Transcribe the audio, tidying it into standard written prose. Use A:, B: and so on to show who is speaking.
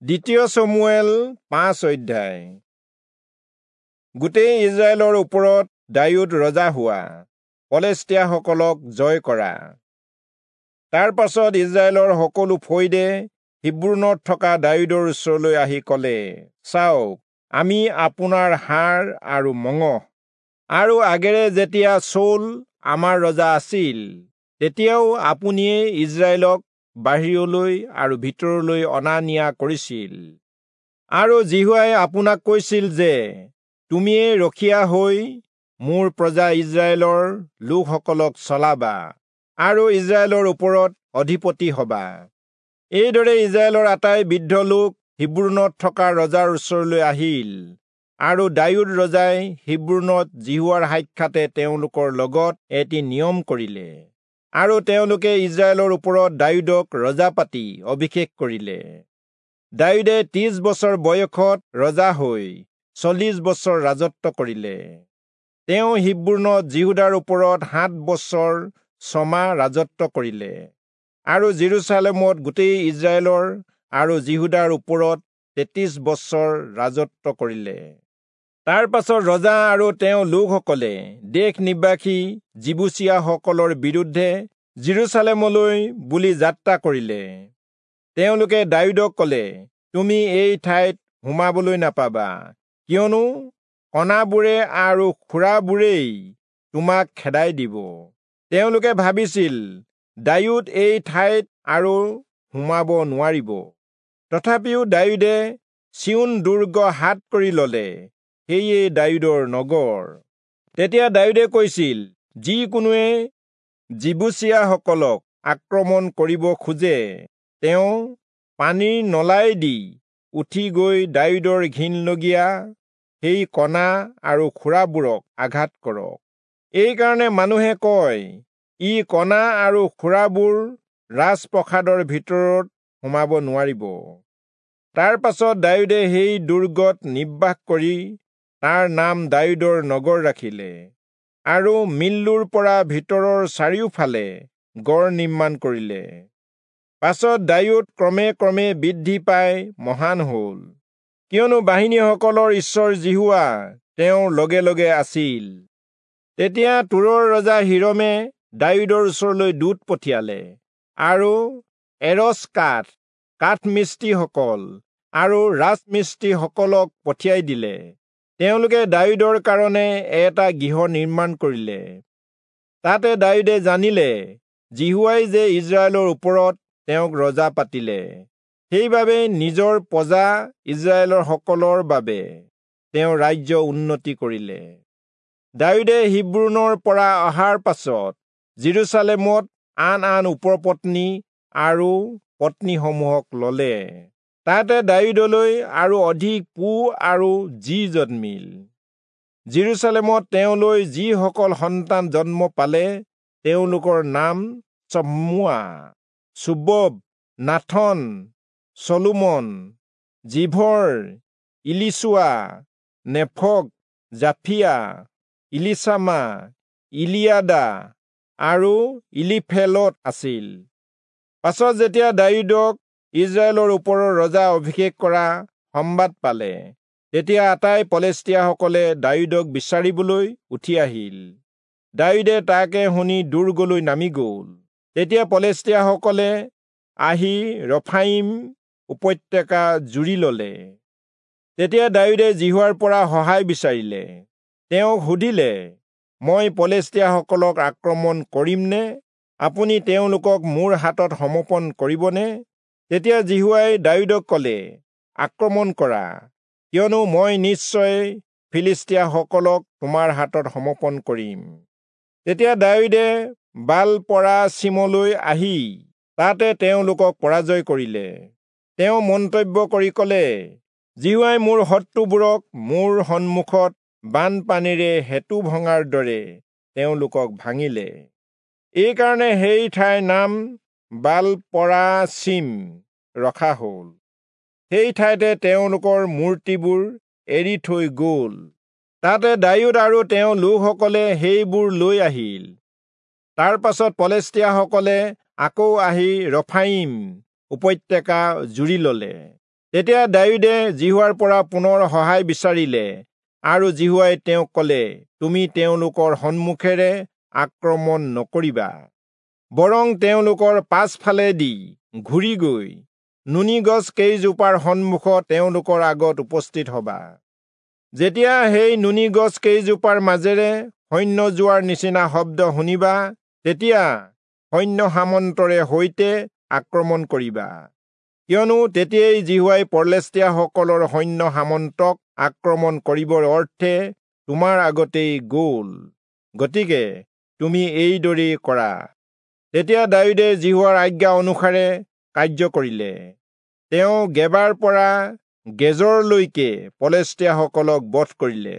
A: দ্বিতীয় চমূৱেল 5 অধ্যায়। গোটেই ইজৰাইলৰ ওপৰত দায়ূদ ৰজা হোৱা, পলেষ্টীয়াসকলক জয় কৰা। তাৰ পাছত ইজৰাইলৰ সকলো ফৈদে হিব্ৰোণত থকা দায়ূদৰ ওচৰলৈ আহি ক'লে, চাওক, আমি আপোনাৰ হাড় আৰু মঙহ। আৰু আগেৰে যেতিয়া চৌল আমাৰ ৰজা আছিল, তেতিয়াও আপুনিয়েই ইজৰাইলক বাহিৰলৈ আৰু ভিতৰলৈ অনা নিয়া কৰিছিল। আৰু যিহোৱাই আপোনাক কৈছিল যে, তুমিয়েই ৰখীয়া হৈ মোৰ প্ৰজা ইজৰাইলৰ লোকসকলক চলাবা আৰু ইজৰাইলৰ ওপৰত অধিপতি হবা। এইদৰে ইজৰাইলৰ আটাই বৃদ্ধ লোক হিব্ৰোণত থকা ৰজাৰ ওচৰলৈ আহিল, আৰু দায়ূদ ৰজাই হিব্ৰোণত যিহোৱাৰ সাক্ষাতে তেওঁলোকৰ লগত এটি নিয়ম কৰিলে, আৰু তেওঁলোকে ইজৰাইলৰ ওপৰত দায়ূদক ৰজা পাতি অভিষেক কৰিলে। দায়ূদে 30 বছৰ বয়সত ৰজা হৈ 40 বছৰ ৰাজত্ব কৰিলে। তেওঁ হিব্ৰোণত যিহূদাৰ ওপৰত 7 বছৰ 6 মাহ ৰাজত্ব কৰিলে, আৰু যিৰূচালেমত গোটেই ইজৰাইলৰ আৰু যিহূদাৰ ওপৰত 33 বছৰ ৰাজত্ব কৰিলে। তাৰ পাছত ৰজা আৰু তেওঁ লোকসকলে দেশ নিবাসী যিবূচীয়াসকলৰ বিৰুদ্ধে যিৰূচালেমলৈ বুলি যাত্ৰা কৰিলে। তেওঁলোকে দায়ূদক ক'লে, তুমি এই ঠাইত সোমাবলৈ নাপাবা, কিয়নো কণাবোৰে আৰু খুৰাবোৰেই তোমাক খেদাই দিব। তেওঁলোকে ভাবিছিল, দায়ূদ এই ঠাইত আৰু সোমাব নোৱাৰিব। তথাপিও দায়ূদে চিয়োন দুৰ্গ হাত কৰি ললে, সেয়ে দায়ূদৰ নগৰ। তেতিয়া দায়ূদে কৈছিল, যিকোনোৱে যিবূচীয়াসকলক আক্ৰমণ কৰিব খোজে, তেওঁ পানীৰ নলাইদি উঠি গৈ দায়ূদৰ ঘিণলগীয়া সেই কণা আৰু খুৰাবোৰক আঘাত কৰক। এইকাৰণে মানুহে কয়, ই কণা আৰু খুৰাবোৰ ৰাজপ্ৰসাদৰ ভিতৰত সোমাব নোৱাৰিব। তাৰ পাছত দায়ূদে সেই দুৰ্গত নিবাস কৰি তাৰ নাম দায়ূদৰ নগৰ ৰাখিলে, আৰু মিল্লোৰ পৰা ভিতৰৰ চাৰিওফালে গড় নিৰ্মাণ কৰিলে। পাছত দায়ূদ ক্ৰমে ক্ৰমে বৃদ্ধি পাই মহান হল, কিয়নো বাহিনীসকলৰ ঈশ্বৰ যিহোৱা তেওঁৰ লগে লগে আছিল। তেতিয়া তূৰৰ ৰজা হিৰমে দায়ূদৰ ওচৰলৈ দূত পঠিয়ালে, আৰু এৰচ কাঠ, কাঠমিস্ত্ৰীসকল আৰু ৰাজমিস্ত্ৰীসকলক পঠিয়াই দিলে। তেওঁলোকে দায়ূদৰ কাৰণে এটা গৃহ নিৰ্মাণ কৰিলে। তাতে দায়ূদে জানিলে, যিহোৱাই যে ইজৰাইলৰ ওপৰত তেওঁক ৰজা পাতিলে, সেইবাবে নিজৰ প্ৰজা ইজৰাইলৰ সকলৰ বাবে তেওঁ ৰাজ্য উন্নতি কৰিলে। দায়ূদে হিব্ৰোণৰ পৰা অহাৰ পাছত যিৰূচালেমত আন আন উপপত্নী আৰু পত্নীসমূহক ললে। তাতে দায়ূদলৈ আৰু অধিক পু আৰু জী জন্মিল। যিৰূচালেমত তেওঁলৈ যিসকল সন্তান জন্ম পালে, তেওঁলোকৰ নাম চম্মুৱা, চোবব, নাথন, চলোমন, জিভৰ, ইলিচুৱা, নেফগ, জাফিয়া, ইলিচামা, ইলিয়াদা আৰু ইলিফেলত আছিল। পাছত যেতিয়া দায়ূদক ইজৰাইলৰ ওপৰৰ ৰজা অভিষেক কৰা সম্বাদ পালে, তেতিয়া আটাই পলেষ্টীয়াসকলে দায়ূদক বিচাৰিবলৈ উঠি আহিল। দায়ূদে তাকে শুনি দুৰ্গলৈ নামি গ'ল। তেতিয়া পলেষ্টীয়াসকলে আহি ৰফাইম উপত্যকা জুৰি ললে। তেতিয়া দায়ূদে যিহোৱাৰ পৰা সহায় বিচাৰিলে। তেওঁক সুধিলে, মই পলেষ্টীয়াসকলক আক্ৰমণ কৰিমনে? আপুনি তেওঁলোকক মোৰ হাতত সমৰ্পণ কৰিবনে? তেতিয়া যিহোৱাই দায়ূদক ক'লে, আক্ৰমণ কৰা, কিয়নো মই নিশ্চয় ফিলিষ্টীয়াসকলক তোমাৰ হাতত সমৰ্পণ কৰিম। তেতিয়া দায়ূদে বালপৰাচীমলৈ আহি তাতে তেওঁলোকক পৰাজয় কৰিলে। তেওঁ মন্তব্য কৰি ক'লে, যিহোৱাই মোৰ শত্ৰুবোৰক মোৰ সন্মুখত বানপানীৰে সেতু ভঙাৰ দৰে তেওঁলোকক ভাঙিলে। এইকাৰণে সেই ঠাইৰ নাম বালপৰাচীম ৰখা হ'ল। সেই ঠাইতে তেওঁলোকৰ মূৰ্তিবোৰ এৰি থৈ গ'ল। তাতে দায়ূদ আৰু তেওঁ লোকসকলে সেইবোৰ লৈ আহিল। তাৰ পাছত পলেষ্টীয়াসকলে আকৌ আহি ৰফাইম উপত্যকা জুৰি ললে। তেতিয়া দায়ূদে যিহোৱাৰ পৰা পুনৰ সহায় বিচাৰিলে আৰু যিহোৱাই তেওঁক কলে, তুমি তেওঁলোকৰ সন্মুখেৰে আক্ৰমণ নকৰিবা, বৰং তেওঁলোকৰ পাছফালেদি ঘূৰি গৈ নুনি গছ কেইজোপাৰ সন্মুখত তেওঁলোকৰ আগত উপস্থিত হবা। যেতিয়া সেই নুনি গছ কেইজোপাৰ মাজেৰে সৈন্য যোৱাৰ নিচিনা শব্দ শুনিবা, তেতিয়া সৈন্য সামন্তৰে সৈতে আক্ৰমণ কৰিবা, কিয়নো তেতিয়াই যিহোৱাই পলেষ্টীয়াসকলৰ সৈন্য সামন্তক আক্ৰমণ কৰিবৰ অৰ্থে তোমাৰ আগতেই গ'ল। গতিকে তুমি এইদৰেই কৰা। তেতিয়া দায়ূদে যিহোৱাৰ আজ্ঞা অনুসাৰে কাৰ্য কৰিলে। তেওঁ গেবাৰ পৰা গেজৰলৈকে পলেষ্টীয়াসকলক বধ কৰিলে।